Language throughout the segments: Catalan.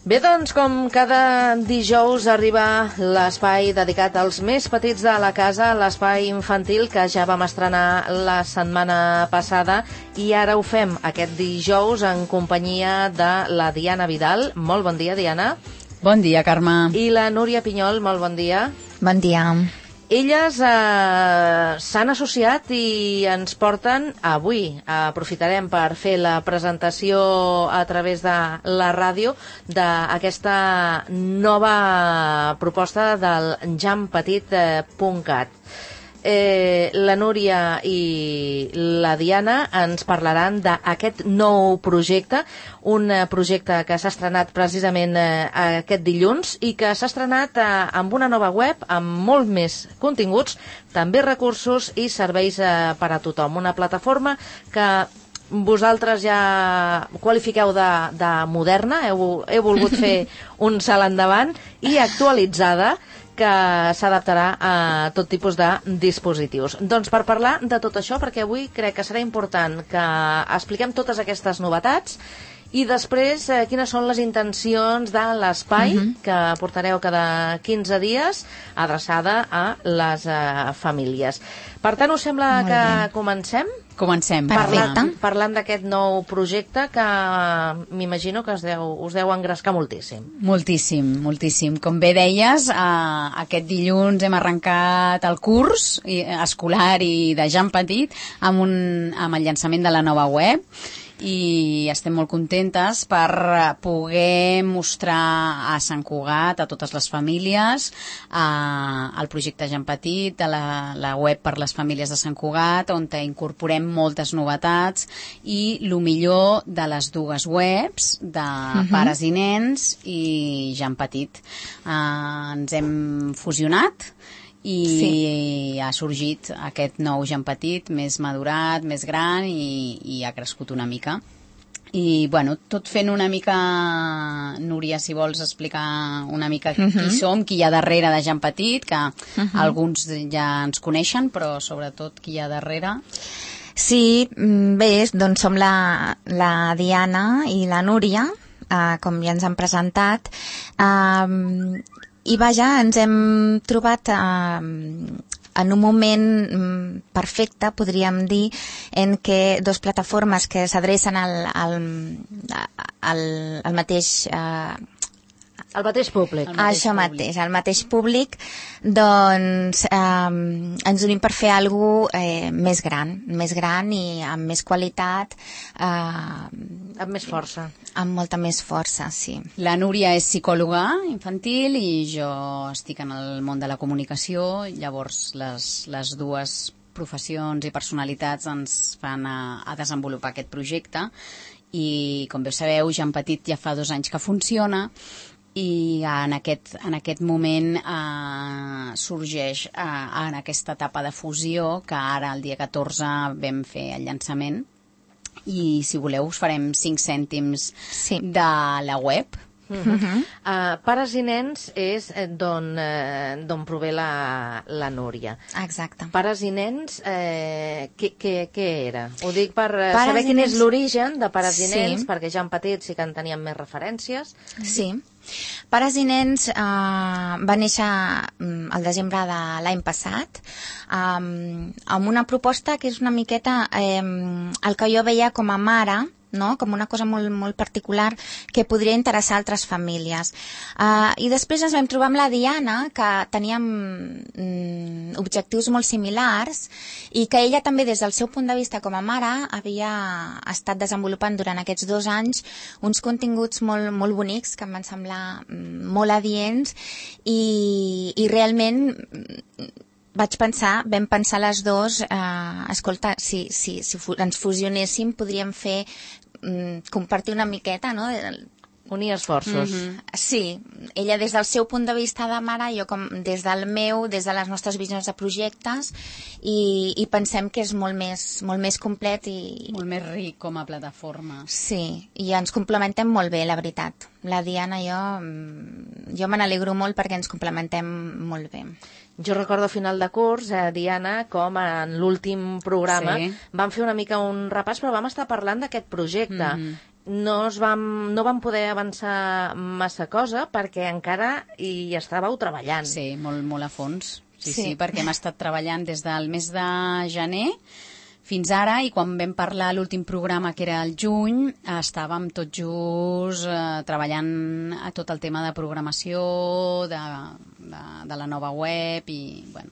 Bé, doncs, com cada dijous arriba l'espai dedicat als més petits de la casa, l'espai infantil que ja vam estrenar la setmana passada i ara ho fem aquest dijous en companyia de la Diana Vidal. Molt bon dia, Diana. Bon dia, Carme. I la Núria Pinyol, molt bon dia. Bon dia. Elles s'han associat i ens porten avui. Aprofitarem per fer la presentació a través de la ràdio d'aquesta nova proposta del jampetit.cat. La Núria i la Diana ens parlaran d'aquest nou projecte, un projecte que s'ha estrenat precisament aquest dilluns i que s'ha estrenat amb una nova web, amb molt més continguts, també recursos i serveis per a tothom. Una plataforma que vosaltres ja qualifiqueu de moderna, heu volgut fer un salt endavant i actualitzada, que s'adaptarà a tot tipus de dispositius. Doncs per parlar de tot això, perquè avui crec que serà important que expliquem totes aquestes novetats i després quines són les intencions de l'espai que portareu cada 15 dies adreçada a les famílies. Per tant, us sembla que comencem? Comencem. Parlant d'aquest nou projecte que m'imagino que us deu engrescar moltíssim. Moltíssim, moltíssim. Com bé deies, aquest dilluns hem arrencat el curs escolar i de Jan Petit amb el llançament de la nova web i estem molt contentes per poder mostrar a Sant Cugat, a totes les famílies, el projecte Jan Petit, la web per les famílies de Sant Cugat, on incorporem moltes novetats i el millor de les dues webs, de pares i nens i Jan Petit. Ens hem fusionat i ha sorgit aquest nou Jan Petit, més madurat, més gran i ha crescut una mica. I, bueno, tot fent una mica, Núria, si vols explicar una mica qui som, qui hi ha darrere de Jan Petit, que alguns ja ens coneixen, però sobretot qui hi ha darrere. Sí, bé, doncs som la Diana i la Núria, com ja ens han presentat, i vaja, ens hem trobat en un moment perfecte, podríem dir, en què dues plataformes que s'adrecen al mateix... El mateix públic. Això mateix, el mateix públic, doncs ens unim per fer alguna cosa més gran i amb més qualitat. Amb més força. Amb molta més força, sí. La Núria és psicòloga infantil i jo estic en el món de la comunicació, llavors les dues professions i personalitats ens fan a desenvolupar aquest projecte i, com bé sabeu, Jan Petit ja fa 2 anys que funciona i en aquest moment sorgeix en aquesta etapa de fusió que ara el dia 14 vam fer el llançament i si voleu us farem 5 cèntims de la web. Pares i nens és d'on prové la Núria. Exacte. Pares i nens, què era? Ho dic per saber quin és l'origen de Pares i nens, perquè ja en Petit sí que en teníem més referències. Sí. Pares i nens va néixer al desembre de l'any passat amb una proposta que és una miqueta el que jo veia com a mare, no? Com una cosa molt, molt particular que podria interessar a altres famílies. I després ens vam trobar amb la Diana, que teníem objectius molt similars i que ella també des del seu punt de vista com a mare havia estat desenvolupant durant aquests 2 anys uns continguts molt, molt bonics que em van semblar molt adients i realment vam pensar les dues, escolta, si ens fusionéssim podríem fer compartir una miqueta, no? Unir esforços. Sí, ella des del seu punt de vista de mare, jo com des del meu, des de les nostres visions de projectes i pensem que és molt més complet i... Molt més ric com a plataforma. Sí, i ens complementem molt bé, la veritat. La Diana i jo me n'alegro molt perquè ens complementem molt bé. Jo recordo a final de curs, Diana, com en l'últim programa vam fer una mica un repàs, però vam estar parlant d'aquest projecte. no vam poder avançar massa cosa perquè encara hi estàveu treballant. Sí, molt a fons. Sí, perquè hem estat treballant des del mes de gener fins ara, i quan vam parlar l'últim programa, que era el juny, estàvem tot just treballant a tot el tema de programació, de la nova web i, bueno...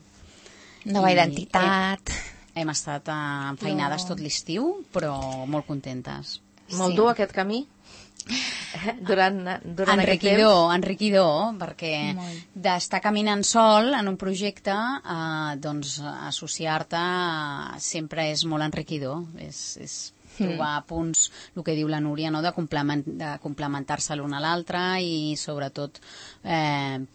Nova identitat... Hem estat enfeinades tot l'estiu, però molt contentes. Molt dur aquest camí? Durant aquest temps? Enriquidor, perquè d'estar caminant sol en un projecte, doncs associar-te sempre és molt enriquidor. És trobar punts, el que diu la Núria, no? de complementar-se l'un a l'altre, i sobretot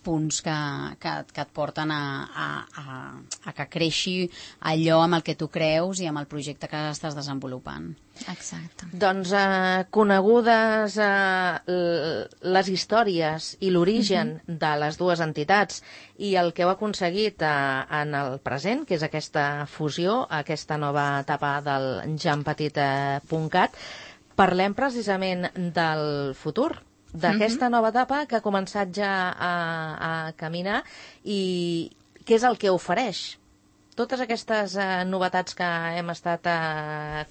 punts que et porten a que creixi allò amb el que tu creus i amb el projecte que estàs desenvolupant. Exacte. Doncs conegudes les històries i l'origen de les dues entitats i el que heu aconseguit en el present, que és aquesta fusió, aquesta nova etapa del JamPetit.cat, parlem precisament del futur, d'aquesta nova etapa que ha començat ja a caminar, i què és el que ofereix? Totes aquestes novetats que hem estat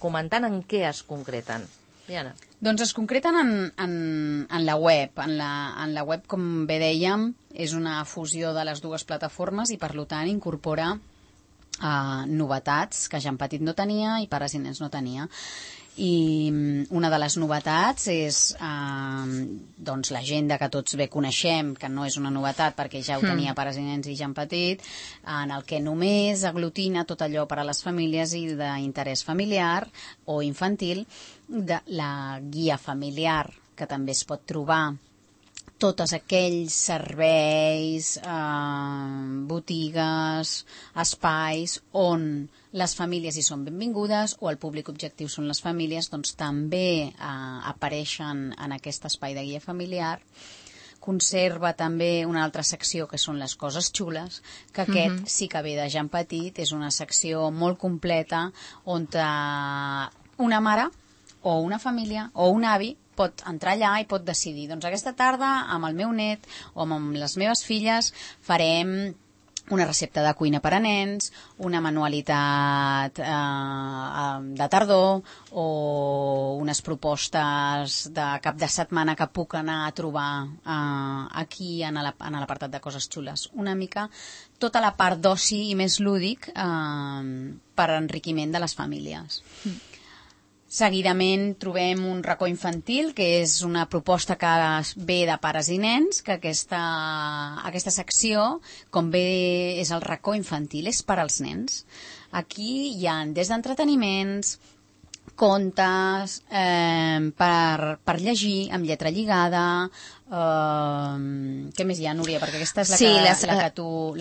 comentant, en què es concreten? Diana. Doncs es concreten en la web. En la web, com bé dèiem, és una fusió de les dues plataformes i, per tant, incorpora novetats que JamPetit no tenia i Pares i Nens no tenia. I una de les novetats és doncs l'agenda que tots bé coneixem, que no és una novetat perquè ja ho tenia Pares i Nens i JamPetit, en el que només aglutina tot allò per a les famílies i d'interès familiar o infantil, de la guia familiar, que també es pot trobar tots aquells serveis, botigues, espais on les famílies hi són benvingudes o el públic objectiu són les famílies, doncs també apareixen en aquest espai de guia familiar. Conserva també una altra secció que són les coses xules, que aquest sí que ve de JamPetit, és una secció molt completa on una mare o una família o un avi pot entrar allà i pot decidir, doncs aquesta tarda amb el meu net o amb les meves filles farem una recepta de cuina per a nens, una manualitat de tardor o unes propostes de cap de setmana que puc anar a trobar aquí en l'apartat de coses xules. Una mica tota la part d'oci i més lúdic per enriquiment de les famílies. Seguidament trobem un racó infantil, que és una proposta que ve de Pares i Nens, que aquesta secció, com bé és el racó infantil, és per als nens. Aquí hi ha des d'entreteniments, contes, per llegir amb lletra lligada. Què més hi ha, Núria? Perquè aquesta és la que tu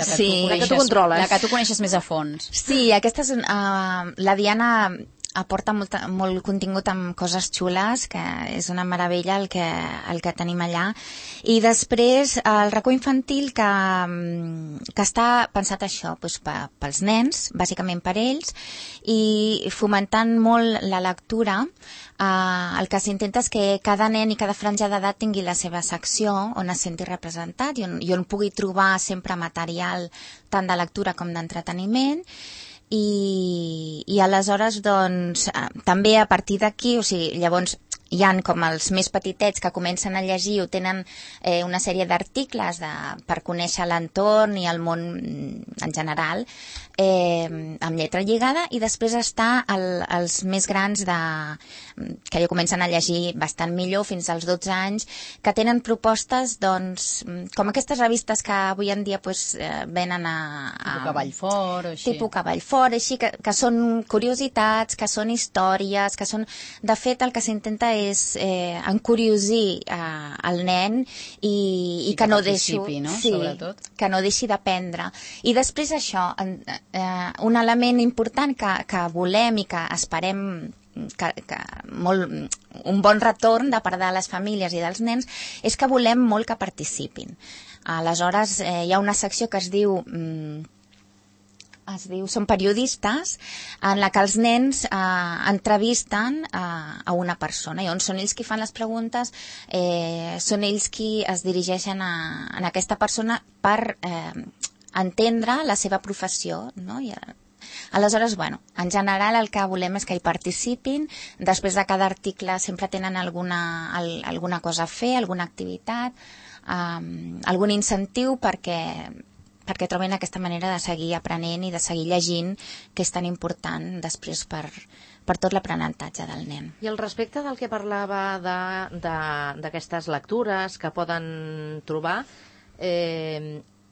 controles, la que tu coneixes més a fons. Sí, aquesta és la Diana aporta molt contingut amb coses xules, que és una meravella el que tenim allà. I després el racó infantil que està pensat això, doncs, pels nens, bàsicament per ells, i fomentant molt la lectura. El que s'intenta és que cada nen i cada franja d'edat tingui la seva secció on es senti representat i on pugui trobar sempre material tant de lectura com d'entreteniment. I aleshores doncs també a partir d'aquí, o sigui, llavors hi han com els més petitets que comencen a llegir o tenen una sèrie d'articles per conèixer l'entorn i el món en general, amb lletra lligada, i després està els més grans que ja comencen a llegir bastant millor, fins als 12 anys, que tenen propostes doncs, com aquestes revistes que avui en dia venen tipus Cavall Fort o així. Tipus Cavall Fort, així, que són curiositats, que són històries, que són... De fet, el que s'intenta és encuriosir el nen i que no deixi, no? Sí, sobretot. Que no deixi d'aprendre. I després això, un element important que volem i que esperem un bon retorn de part de les famílies i dels nens és que volem molt que participin. Aleshores hi ha una secció que es diu són periodistes, en la que els nens entrevisten a una persona, i on són ells qui fan les preguntes, són ells qui es dirigeixen a aquesta persona per entendre la seva professió, no? I aleshores, bueno, en general el que volem és que hi participin. Després de cada article sempre tenen alguna cosa a fer, alguna activitat, algun incentiu perquè troben aquesta manera de seguir aprenent i de seguir llegint, que és tan important després per tot l'aprenentatge del nen. I al respecte del que parlava d'aquestes lectures que poden trobar,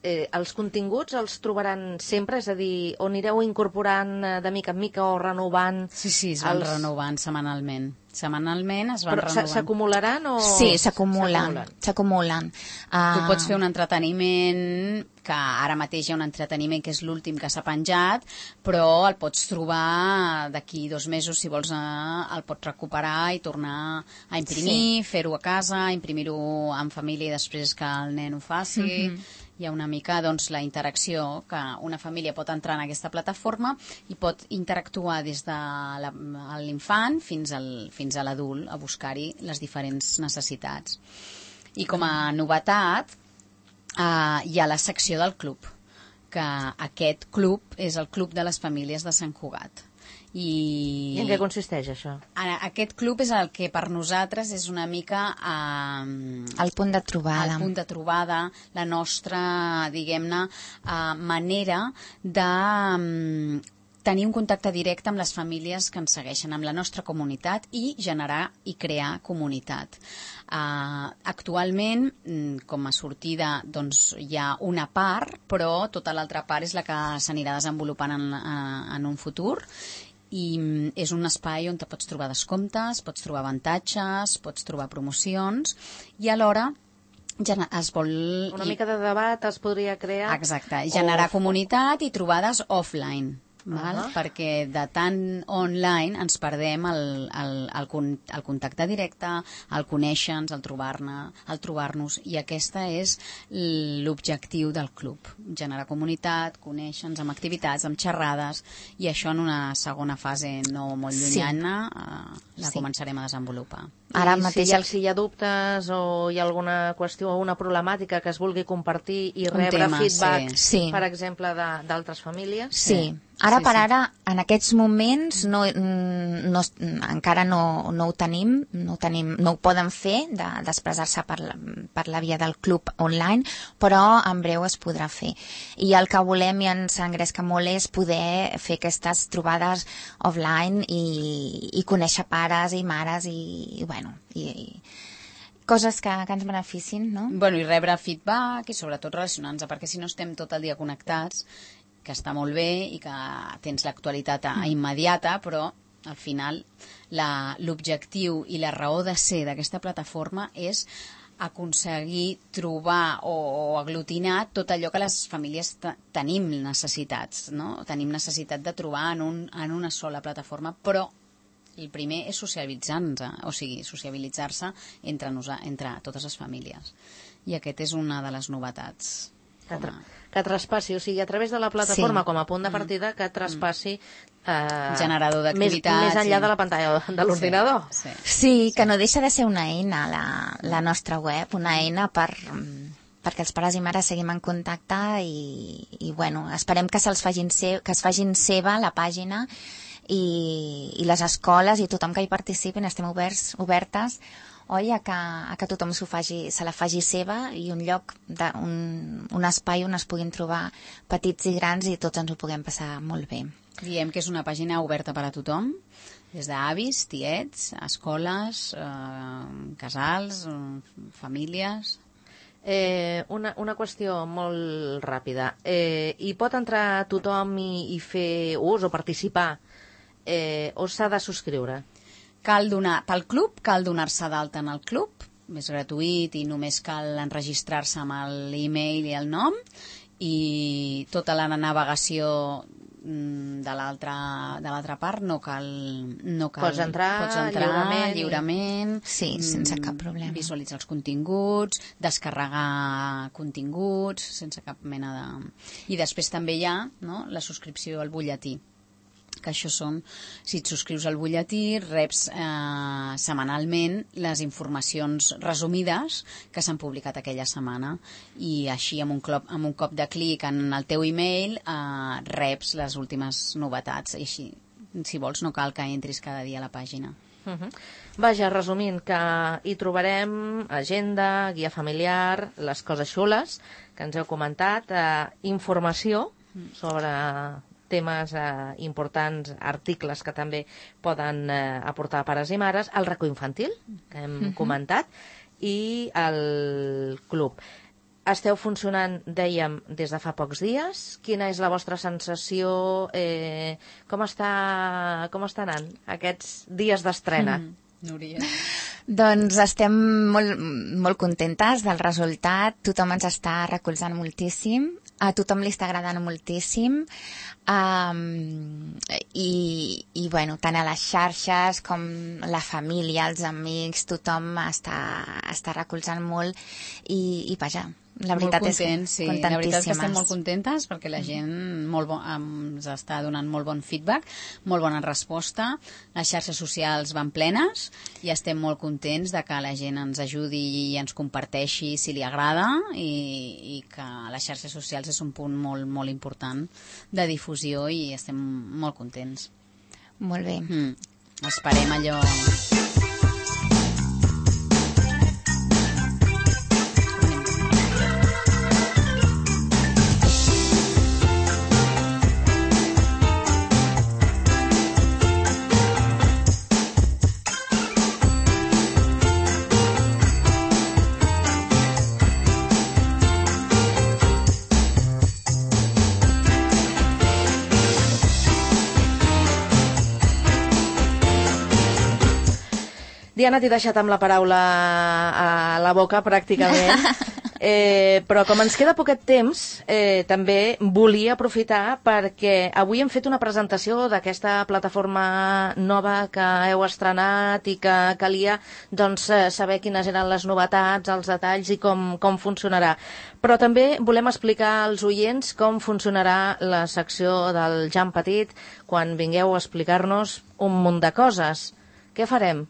els continguts els trobaran sempre? És a dir, on anireu incorporant de mica en mica o renovant? Sí, es van renovant setmanalment. Setmanalment es van renovant. Però s'acumularan o...? Sí, s'acumulen. Tu pots fer un entreteniment, que ara mateix hi ha un entreteniment que és l'últim que s'ha penjat, però el pots trobar d'aquí 2 mesos, si vols, el pots recuperar i tornar a imprimir, fer-ho a casa, imprimir-ho en família i després que el nen ho faci. Hi ha una mica, doncs, la interacció, que una família pot entrar en aquesta plataforma i pot interactuar des de l'infant fins a l'adult, a buscar-hi les diferents necessitats. I com a novetat, hi ha la secció del club, que aquest club és el Club de les Famílies de Sant Cugat. I en què consisteix això? Aquest club és el que per nosaltres és una mica el punt de trobada. El punt de trobada, la nostra, diguem-ne, manera de tenir un contacte directe amb les famílies que ens segueixen, amb la nostra comunitat, i generar i crear comunitat. Actualment, com a sortida, doncs, hi ha una part, però tota l'altra part és la que s'anirà desenvolupant en un futur, i és un espai on te pots trobar descomptes, pots trobar avantatges, pots trobar promocions, i alhora es vol... Una mica de debat es podria crear. Exacte, generar comunitat i trobades offline. Perquè de tant online ens perdem el contacte directe, el conèixer-nos, el trobar-nos, i aquesta és l'objectiu del club, generar comunitat, conèixer-nos amb activitats, amb xerrades, i això en una segona fase no molt llunyana la començarem a desenvolupar. Ara mateix, si hi ha dubtes o hi ha alguna qüestió o una problemàtica que es vulgui compartir i rebre feedback, per exemple, d'altres famílies? Sí. Ara per ara, en aquests moments, encara no ho tenim, no ho poden fer, d'expressar-se per la via del club online, però en breu es podrà fer. I el que volem i ens engresca molt és poder fer aquestes trobades offline i conèixer pares i mares i coses que ens beneficin, no? Bueno, i rebre feedback i sobretot relacionar-nos, perquè si no estem tot el dia connectats, que està molt bé i que tens l'actualitat immediata, però al final l'objectiu i la raó de ser d'aquesta plataforma és aconseguir trobar o aglutinar tot allò que les famílies tenim necessitats, no? Tenim necessitat de trobar en una sola plataforma, però el primer és socialitzar-nos, o sigui, sociabilitzar-se entre totes les famílies. I aquest és una de les novetats. Que traspassi, o sigui, a través de la plataforma com a punt de partida, que traspassi generador d'activitats més enllà de la pantalla de l'ordinador. Sí, que no deixa de ser una eina, la nostra web, una eina perquè els pares i mares seguim en contacte i bueno, esperem que es facin seva la pàgina i les escoles i tothom que hi participin, estem obertes a que tothom se la faci seva, i un lloc, un espai on es puguin trobar petits i grans i tots ens ho puguem passar molt bé. Diem que és una pàgina oberta per a tothom, des d'avis, tiets, escoles, casals, famílies. Una qüestió molt ràpida. Hi pot entrar tothom i fer ús o participar, o s'ha de subscriure? Pel club cal donar-se d'alta en el club, és gratuït i només cal enregistrar-se amb l'e-mail i el nom, i tota la navegació de l'altra part no cal pots entrar lliurement sí, sense cap problema, visualitzar els continguts, descarregar continguts sense cap mena de... I després també hi ha, no?, la subscripció al butlletí, que això són, si et subscrius al butlletí, reps setmanalment les informacions resumides que s'han publicat aquella setmana, i així amb un cop de clic en el teu email reps les últimes novetats, i així, si vols, no cal que entris cada dia a la pàgina. Vaja, resumint, que hi trobarem agenda, guia familiar, les coses xules que ens heu comentat, informació sobre temes importants, articles que també poden aportar pares i mares, el racó infantil, que hem comentat, i el club. Esteu funcionant, dèiem, des de fa pocs dies. Quina és la vostra sensació? Com està anant aquests dies d'estrena? Núria. Doncs estem molt contentes del resultat, tothom ens està recolzant moltíssim, a tothom li està agradant moltíssim, i bueno, tant a les xarxes com la família, els amics, tothom està recolzant molt, i vaja, la veritat és sí. La veritat és que estem molt contentes perquè la gent ens està donant molt bon feedback, molt bona resposta, les xarxes socials van plenes i estem molt contents de que la gent ens ajudi i ens comparteixi si li agrada, i que les xarxes socials és un punt molt, molt important de difusió, i estem molt contents. Molt bé. Esperem allò... Diana, t'he deixat amb la paraula a la boca, pràcticament. Però com ens queda poquet temps, també volia aprofitar perquè avui hem fet una presentació d'aquesta plataforma nova que heu estrenat i que calia saber quines eren les novetats, els detalls i com funcionarà. Però també volem explicar als oients com funcionarà la secció del Jan Petit quan vingueu a explicar-nos un munt de coses. Què farem?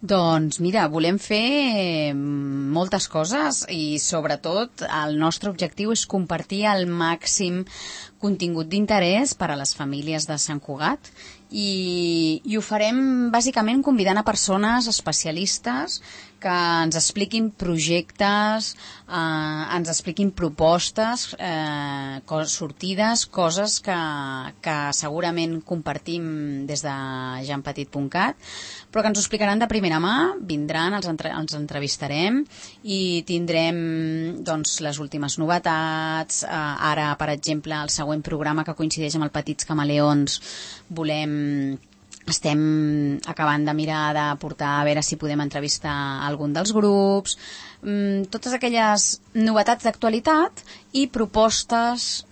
Doncs mira, volem fer moltes coses, i sobretot el nostre objectiu és compartir el màxim contingut d'interès per a les famílies de Sant Cugat, i ho farem bàsicament convidant a persones especialistes que ens expliquin projectes, ens expliquin propostes, sortides, coses que segurament compartim des de janpetit.cat, però que ens ho explicaran de primera mà, vindran, els entrevistarem i tindrem les últimes novetats. Ara, per exemple, el següent programa, que coincideix amb el Petits Camaleons, estem acabant de mirar de portar a veure si podem entrevistar algun dels grups, totes aquelles novetats d'actualitat i propostes,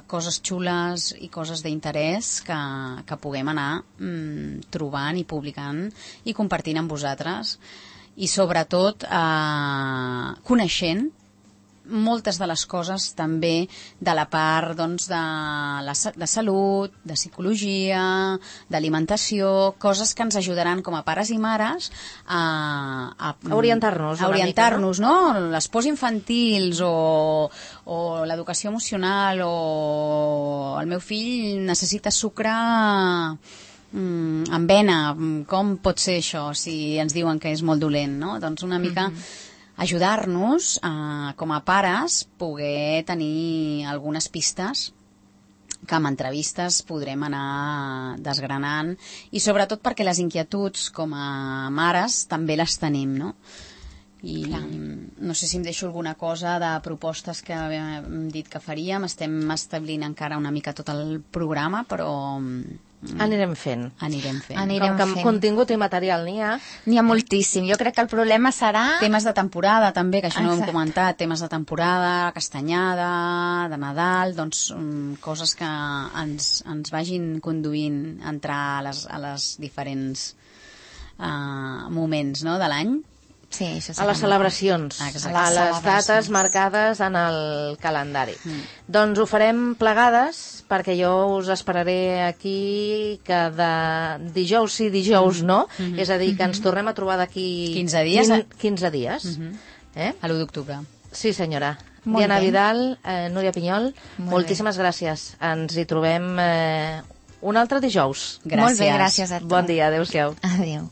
coses xules i coses d'interès que puguem anar trobant i publicant i compartint amb vosaltres, i sobretot coneixent moltes de les coses també de la part de salut, de psicologia, d'alimentació, coses que ens ajudaran com a pares i mares a orientar-nos una mica, no? Les pors infantils o l'educació emocional, o el meu fill necessita sucre amb vena, com pot ser això si ens diuen que és molt dolent, no? Doncs una mica ajudar-nos com a pares, poder tenir algunes pistes que amb entrevistes podrem anar desgranant, i sobretot perquè les inquietuds com a mares també les tenim, no? I no sé si em deixo alguna cosa de propostes que hem dit que faríem. Estem establint encara una mica tot el programa, però Anirem fent. Anirem fent. Com que contingut i material n'hi ha. N'hi ha moltíssim. Jo crec que el problema serà... Temes de temporada, també, que això no ho hem comentat. Temes de temporada, castanyada, de Nadal, doncs coses que ens vagin conduint a entrar a les diferents moments, no?, de l'any. Sí, això a les celebracions, a les dates marcades en el calendari. Doncs ho farem plegades, perquè jo us esperaré aquí cada dijous sí, dijous no, és a dir, que ens tornem a trobar d'aquí 15 dies. 15 dies. A l'1 d'octubre. Sí, senyora. Molt Diana bé. Vidal, Núria Pinyol, moltíssimes gràcies. Ens hi trobem un altre dijous. Gràcies. Molt bé, gràcies a tu. Bon dia, adéu-siau. Adéu.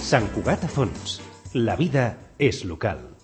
Sant Cugat a Fons. La vida és local.